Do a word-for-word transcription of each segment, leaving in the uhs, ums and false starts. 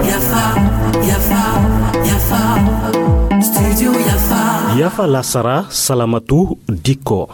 Yafa, yafa, yafa. Studio Yafa. Lasara, Salamatu Dikko.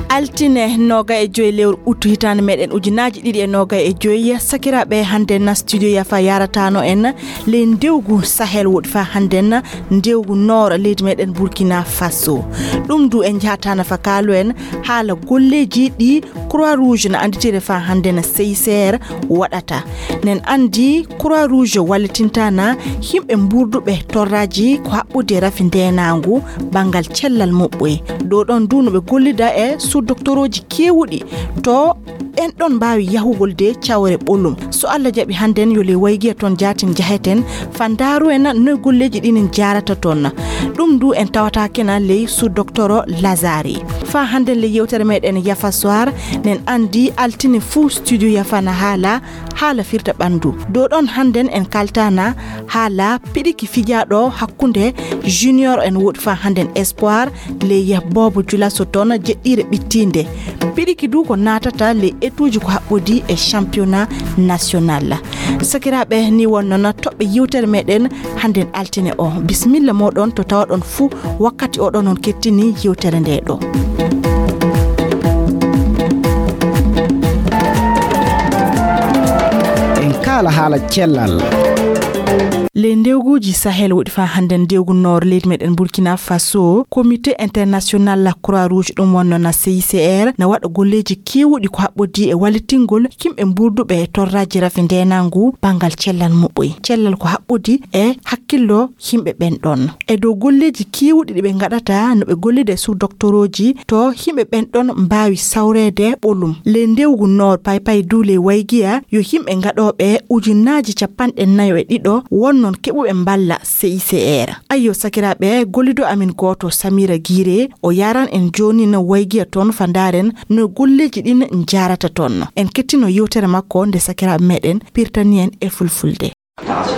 Altine noga e joyi lewru ut hitaande meɗen ujunaaji ɗiɗi e noga e joyi. Sakiraaɓe, hannde na studio Yafa yaratano en ley ndewgu Sahel woɗi fa hannde na ndewgu noora leydi meɗen Burkina Faso. Ɗum du en njahata nafa kaalo en haala golleeji ɗi Croix Rouge na annditiri fa hannde na C I C R waɗata. Nen anndi Croix Rouge wallitinta na yimɓe mburduɓe torraji ko haɓɓude rafi ndeenaangu banngal cellal muɓɓoy. Ɗo ɗon du no ɓe gollida e sous-doctorooji keewuɗi to ɓen ɗon mbaawi yahugol de cawre ɓolum. So Allah jaɓi, hannden yo le waygiya toon jaatin jaheten fa ndaaru en no golleeji ɗin en jaarata toon. Ɗum du en tawata kena ley sous-docteur Lazare. Fa hannden le yewtere meɗen Yafa Soir, nen anndi altine fuu studio Yafa na haala haala firta ɓanndu. Ɗo ɗon hannden en kaltana haala piɗiki fijaaɗo hakkunde junior en woɗi fa hannden espoir ley Bobo Julaso toon jeɗɗiire ɓittiinde. Piɗiki du ko naatata ley etuuji ko haɓɓodi e championnat national. Sakiraaɓe, ni wonno na toɓɓe yewtere meɗen hannden altine o. Bisimilla moɗon to tawaɗon fuu wakkati oɗon on kettini yewtere nde ɗo. En kaala haala cellal. Ley ndewguuji Sahel woɗi fa hannden ndewgu noor leydi meɗen Burkina Faso, Comité International la Croix Rouge ɗum wonno na C I C R na waɗa golleeji keewuɗi ko haɓɓodi e wallitingol yimɓe mburduɓe e torraji rafi ndeenaangu banngal cellal muɓɓoy. Cellal ko haɓɓodi e hakkillo yimɓe ɓen ɗon. E dow golleeji keewuɗi ɗi ɓe ngaɗata no ɓe gollida e sous-doctorooji to yimɓe ɓen ɗon mbaawi sawreede ɓolum. Ley ndewgu noor paypay du ley waygiya yo yimɓe ngaɗooɓe ujunaaji capanɗe nayo e ɗiɗo won non keɓuɓe mballa C I C R. Ayyo sakiraaɓe, gollido amin gooto Samira Giire o yaran en jooni no waygiya toon fa ndaaren no golleeji ɗin njaarata toon. En kettino yewtere makko nde sakiraaɓe meɗen pirtani en e fulfulde.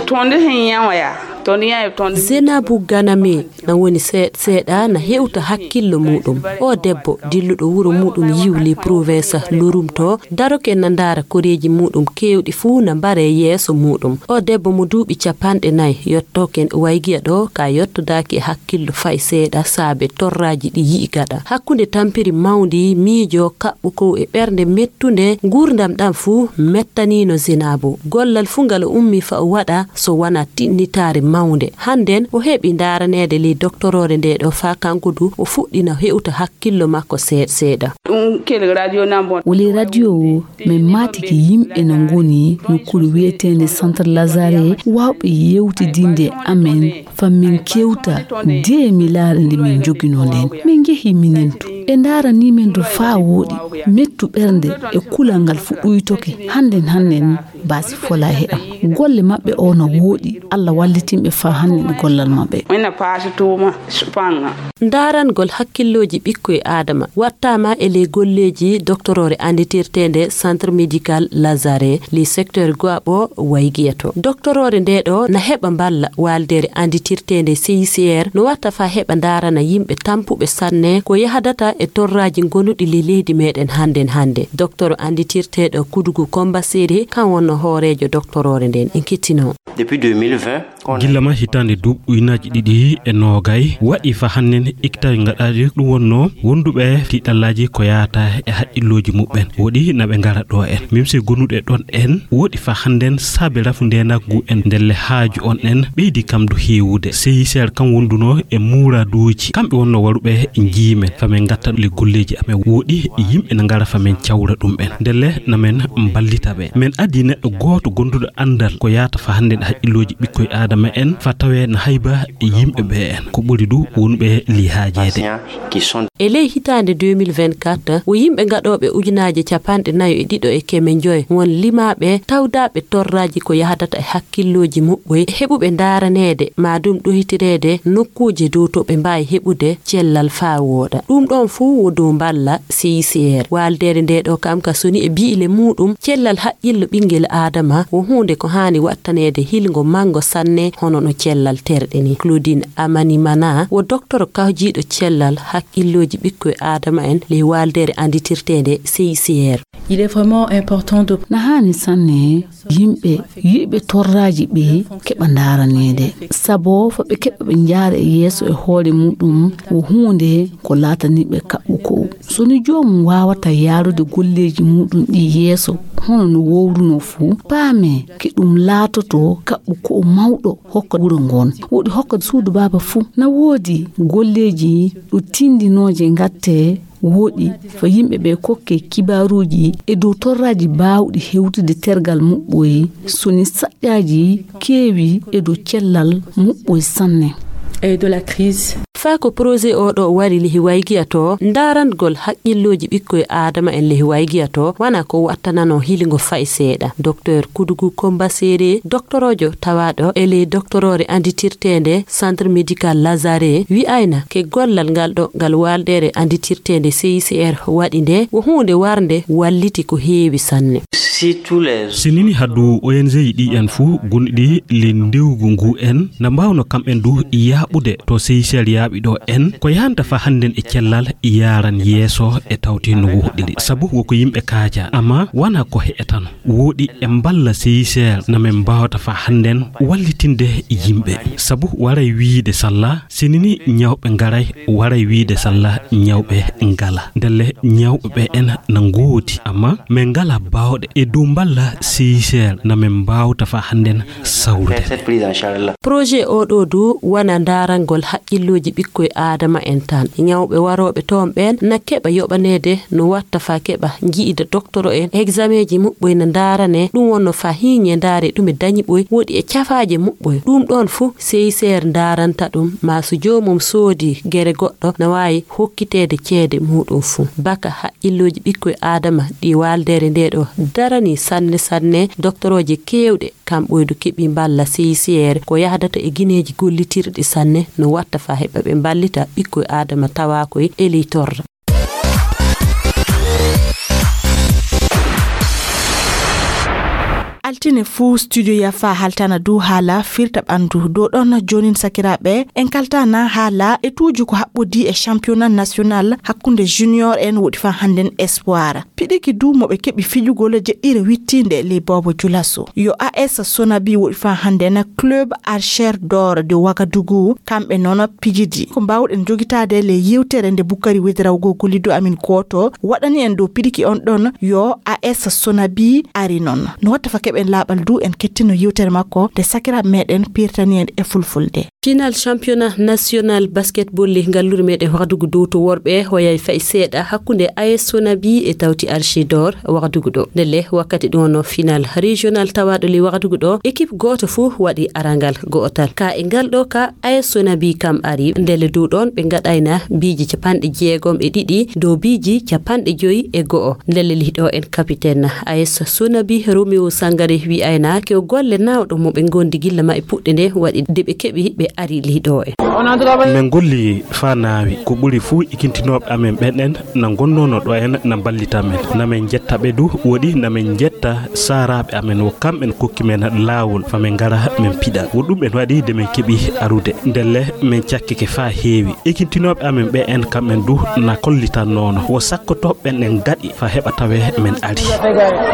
Tonde hen yan waya. Tonde yan tonde. Zenabu Ganame na woni seeɗa seeɗa na hewta hakkillo muɗum. O debbo dilluɗo wuro muɗum yiwli province Lorum to daroke na ndaara koreeji muɗum kewɗi fuu na mbare yeeso muɗum. O debbo mo duuɓi capanɗe nayi yottoken waygiya ɗo ka yottodaaki e hakkillo fay seeɗa saabe torraaji ɗi yi'i gaɗa. Hakkunde tampiri mawndi, miijo, kaɓɓu kow e ɓernde mettunde, nguurndam ɗam fuu mettanino Zenabu. Gollal fuu ngal o ummi fa o waɗa so wona tinnitaare mawnde. Hannden o heɓi ndaaraneede ley doktoroore nde ɗo faa kanko du o fuɗɗina hewta hakkillo makko seeɗa seeɗa. Ɗum kel radio nan bon. O ley radio o, min maatike yimɓe no ngoni nokkuure wiyeteende Centre Lazare, waawɓe yewtidinde amen fa min kewta de mi laara nde min njoginoo nden. Min njehi minen to. Ɓe ndaaranii men to faa wooɗi. Mettu ɓernde e kulal ngal fuɗɗoytoke. Hannden, hannden, baasi folaa he am. Golle maɓɓe o no wooɗi. Allah wallitin ɓe faa hannden e gollal maɓɓe. Ina paasi tuuma, panga. Ndaarangol hakkillooji ɓikkoy Aadama wattaama e ley golleeji doktoroore annditirteende Centre Médical Lazare, ley secteur Goabo waygiya to. Doktoroore nde ɗo na heɓa mballa waaldeere annditirteende C I C R no watta faa heɓa ndaarana yimɓe tampuɓe sanne ko yahdata e torraaji gonuɗi ley leydi meɗen hannden hannde. Doktoro annditirteeɗo Kudugu Komba Seri kan wonno hooreejo doktoroore nden. En kettino. Depuis deux mille vingt, gilla ma hitaande duuɓi ujunaaji ɗiɗi e noogay, waɗi fa hannden ikkitaaji ngaɗaaɗi ɗum wonno wonduɓe tiiɗallaaji ko yaata e haqqillooji muɓɓen. Woɗi na ɓe ngara ɗo en. Mim si gonuɗe ɗon en, woɗi fa hannden saabe rafu ndeenagu en ndelle haaju on en ɓeydi kam du heewude. C I C R kam wonduno e muuraaduuji. Kamɓe wonno waruɓe njiimen fa min ngatta le golleeji amen. Woɗi yimɓe na ngara fa min cawra ɗum en. Ndelle na min mballita ɓe. Min adii neɗɗo gooto gonduɗo anndal ko yaata fa hannden haqqillooji ɓikkoy Aadama en fa tawee na hayba e yimɓe ɓe en. Ko ɓuri du wonɓe lii haajeede. E ley hitaande deux mille vingt-quatre, o yimɓe gaɗooɓe ujunaaje capanɗe nayo e ɗiɗo e keme njoy won limaaɓe tawdaaɓe torraaji ko yahdata e hakkillooji muɓɓoy, heɓuɓe ndaaraneede maa ɗum ɗoytireede nokkuuje dow to ɓe mbaawi heɓude cellal faa wooɗa. Ɗum ɗon Fuu wo dow mballa C I C R. Waaldeere nde ɗo kam ka soni e bi'ile muuɗum, cellal haqqillo ɓinngel Aadama wo huunde ko haani wattaneede hilngo manngo sanne hono no cellal terɗe ni. Claudine Amanimana wo doktoro kawjiiɗo cellal haqqillooji ɓikkoy Aadama en ley waaldeere annditirteende C I C R. Il est vraiment important de Na haani sanne yimɓe yiɗɓe torraaji ɓe keɓa ndaaraneede, sabo fa ɓe keɓa ɓe njaara e yeeso e hoore muuɗum wo huunde ko laatanii ɓe kaɓɓu ko'u. So ni joomum waawata yaarude golleeji muuɗum ɗi yeeso hono no wowrunoo fu, paamee ke ɗum laatoto kaɓɓu ko'u mawɗo hokka wuro ngoon. Woɗi hokka suudu baaba fuu. Na woodi golleeji ɗo tindinooje ngatte woɗi fa yimɓe ɓe kokke kibaaruuji e dow torraaji baawɗi hewtude tergal muɓɓoy, so ni saƴƴaaji keewi e dow cellal muɓɓoy sanne. Et de la crise. Faa ko projet o ɗo wari lihi waygiya to, ndaarangol haqqillooji ɓikkoy Aadama en lihi waygiya to, wana ko wattanano hilingo fay seeɗa. Docteur Kudugu Komba Seere, doktoroojo tawaaɗo e ley doktoroore anditirteende Centre Médical Lazare, wi'ayna ke gollal ngal ɗo ngal waaldeere anditirteende C I C R waɗi nde, wo huunde warnde walliti ko heewi sanne. Si nini haddu O N G ɗi en fuu gonɗi le ndewgu ngu en, na mbaawno kam en du yaaɓude to C I C R yaaɓi ɗo en, ko yahanta fa hannden e cellal yaaran yeeso e tawti no woɗɗiri. Sabu wo ko yimɓe kaaja, amma wana ko he'etano. Woɗi e mballa C I C R na men mbaawata fa hannden wallitinde yimɓe. Sabu waray wiide salla, sinini ñawɓe ngaray, waray wiide salla ñawɓe ngala. Ndelle ñawɓe ɓe en na ngoodi, amma men ngala baawɗe e dow mballa C I C R na men mbaawta fa hannden sawrude. Projet o ɗo du wana ndaarangol haqqillooji ɓikkoy Aadama en tan. Ñawɓe warooɓe toon ɓen na keɓa yoɓaneede no watta fa keɓa nji'ida doktoro en, exameeji muɓɓoy na ndaarane, ɗum wonno fa hiiñe ndaare ɗume dañi ɓoy, woɗi e cafaaje muɓɓoy. Ɗum ɗoon fuu C I C R ndaaranta ɗum, maa so joomum soodi gere goɗɗo na waawi hokkiteede ceede muuɗum fuu. Baka haqqillooji ɓikkoy Aadama ɗi waaldeere nde ɗo darani sanne sanne, doktorooje keewɗe kam ɓoydu keɓi mballa C I C R ko yahdata e gineeji gollitirɗi sanne no watta fa heɓa ɓe mballita ɓikkoy Aadama tawaakoy e ley torra. Altine fuu studio yafa haltana dow haala firta ɓandu. Dow ɗon joonin sakiraaɓe, en kaltana haala etuuji ko haɓɓodii e championnat national hakkunde junior en woɗi fa hannden espoir. Piɗiki du mo ɓe keɓi fijugol jeɗɗire wittiinde ley Boobo Julaso. Yo A S Sonabi woɗi fa hannden club Archer d'Or de Ouagadougou, kamɓe noon pijidi. Ko mbaawɗen jogitaade le yewtere nde Bukkari Wediraw go gollido amin gooto waɗani en dow piɗiki on ɗon yo A S Sonabi ari noon. No watta fa keɓen laaɓal du en kettino yewtere makko nde sakiraaɓe meɗen pirtani en e fulfulde. Final championnat national basketball le ngalluure meɗen Ouagadougou dow to worɓe hoyay fay seeɗa hakkunde A S Sonabi e tawti Archidor Ouagadougou ɗo. Ndelle wakkati ɗum wonno final régional tawaaɗo le Ouagadougou ɗo, équipe gooto fuu waɗi arangal go'otal. Ka e ngal ɗo ka A S Sonabi kam ari, ndelle dow ɗon ɓe ngaɗayna biiji capanɗe jeegom e ɗiɗi dow biiji capanɗe joyi e go'o. Ndelle lihi ɗo en capitaine A S Sonabi Roméo Sangaré wi'ayna ke o golle naawɗo mo ɓe ngondi gilla ma e puɗɗe nde waɗi de ɓe keɓi ɓe ari lihi ɗo en. Min golli faa naawi, ko ɓuri fuu ikintinooɓe amen ɓen en na ngonnoono ɗo en na mballita men. Na min njetta ɓe du, woɗi na min njetta saaraaɓe amen, wo kamɓen kokki men laawol fa min ngara min piɗa. Wo ɗum en waɗi de min keɓi arude. Ndelle min cakkike faa heewi. Ikintinooɓe amen ɓe en kamɓen du na kollitannoono. Wo sakkotooɓe ɓen en gaɗi fa heɓa tawe min ari.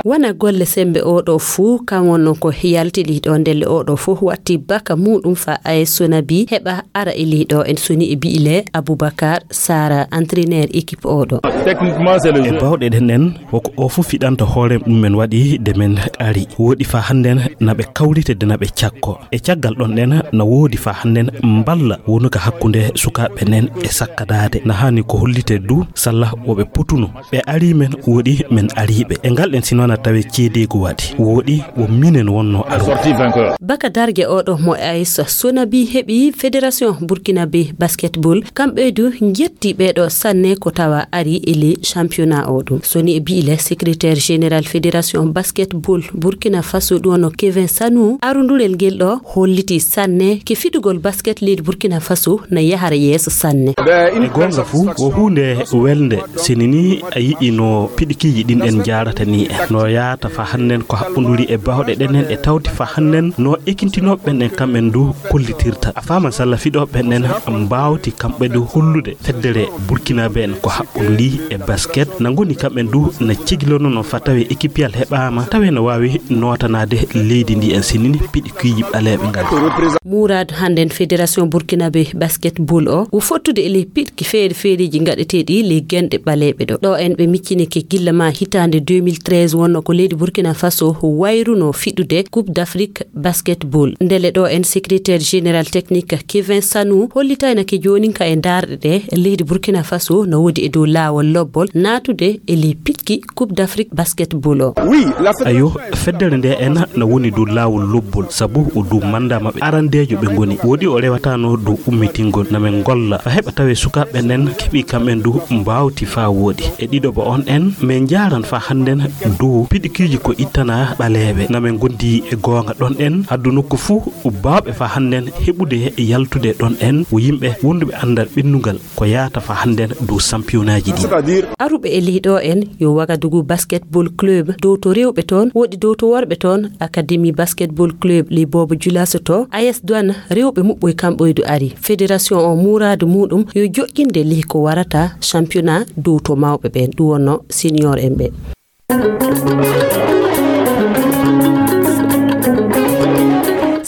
Wona golle sembe oɗo fuu, kan wonno ko yalti ɗi ɗo ndelle oɗo fuu watti baka muɗum fa A S Sonabi heɓa ara e liɗo en soni e bi'ile Aboubacar Sara, entraîneur équipe oɗo. E bawɗe ɗen en, woko o fuu fiɗanta hoore mum men waɗi de men ari. Woɗi fa hannden na ɓe kawrite de na ɓe cakko. E caggal ɗon ɗen na woodi fa hannden mballa wonuka hakkunde sukaaɓe nen e sakkadaade. Na haani ko hollite du salla wo ɓe potuno. Ɓe ari men woɗi men ari ɓe. E ngal ɗen si noon a tawe ceedeego waɗi. Woɗi Wo minen wonno aro. Baka darge oɗo mo A S Sonabi heɓi Fédération Burkinabe Basketball, kamɓe du njetti ɓeɗo sanne ko tawa ari e le championnat o ɗum. Soni e biile secrétaire général Fédération Basketball Burkina Faso ɗum no Kevin Sanu, arundurel ngel ɗo holliti sanne ke fidugol basket leydi Burkina Faso na yahara yeeso sanne. E goonga fuu, wo huunde welnde, sini ni a yi'i no piɗikiiji ɗin en njaarata ni en. No yaata fa hannden ko haɓɓunduri e baawɗe ɗen en e tawti fa hannden no ekintinooɓe ɓen en kamɓen du kollitirta. A faaman salla fiɗooɓe ɓen en mbaawti kamɓe du hollude feddere Burkinaaɓe en ko haɓɓunduri e basket. Na ngoni kamɓen du na cegilonono fa tawe ekipiyal heɓaama, tawe no waawi nootanaade leydi ndi en sini ni piɗikiiji ɓaleeɓe ngal. Muuraadu hannden Fédération Burkinabé Basketball o, wo fottude e ley piɗki feere feereeji ngaɗeteeɗi ley genɗe ɓaleeɓe ɗo. Ɗo en ɓe miccinike gilla ma hitaande deux mille treize wonno ko leydi Burkina Faso wayruno fiɗude Coupe d'Afrique Basketball. Ndele ɗo en secrétaire général technique Kevin Sanou hollitaynake joonin ka e ndaarɗe ɗe leydi Burkina Faso no woodi e dow laawol lobbol naatude e ley piɗki Coupe d'Afrique Basketball o. Ayo, feddere nde en na woni dow laawol lobbol, sabu o dow manda maɓɓe arandeejo ɓe ngoni. Woodi o rewatano dow ummitingol, na men ngolla fa heɓa tawe sukaaɓe ɓen en keɓi kamɓen du mbaawti fa wooɗi. E ɗiɗo ba on en, men njaaran fa hannden dow piɗikiiji ko ittana ɓaleeɓe. Na men ngondi e goonga ɗon en, addu nokku fuu baawɓe fa hannden heɓude e yaltude ɗon en, wo yimɓe wonduɓe andal ɓennungal ko yaata fa hannden dow sampiyonaaji ɗi. Aruɓe e ley ɗo en yo Wagadugu Basketball Club, dow to rewɓe toon, woodi dow to worɓe toon, Academy Basketball Club ley Boobo Julaso to, A S Douane rewɓe muɓɓoy kamɓoy du ari. Fédération o muuraadu muɗum yo joƴƴinde ley ko warata championnat dow to mawɓe ɓen, ɗum wonno senior en ɓe.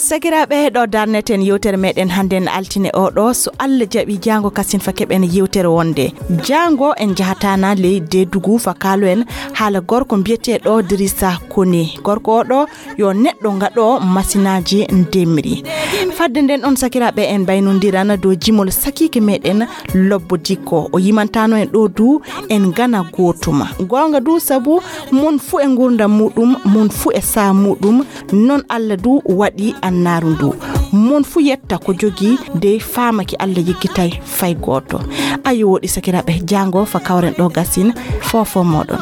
Sakiraaɓe, ɗo darneten yewtere meɗen hannden altine oɗo. So Allah jaɓi, jaango kasin fa keɓen yewtere wonde. Jaango en jahatana ley Deedugu fa kaalo en haala gorko mbiyeteeɗo Dirisa Kone. Gorko oɗo yo neɗɗo ngaɗo masinaaji ndemri. Fadde nden on sakiraaɓe en mbaynondiran dow jimol sakiike meɗen Lobbo Dikko. O yimantano en ɗo du en ngana gootuma. Goonga du sabu mon fu e ngurdam muɗum, mon fu e saa muɗum, non Allah du waɗi annaaru ndu. Mon fu yetta ko jogi dey faamaki Allah yiggitay fay gooto. Ayo woɗi sakiraaɓe, jaango fa kawren ɗo gasin foofo moɗon.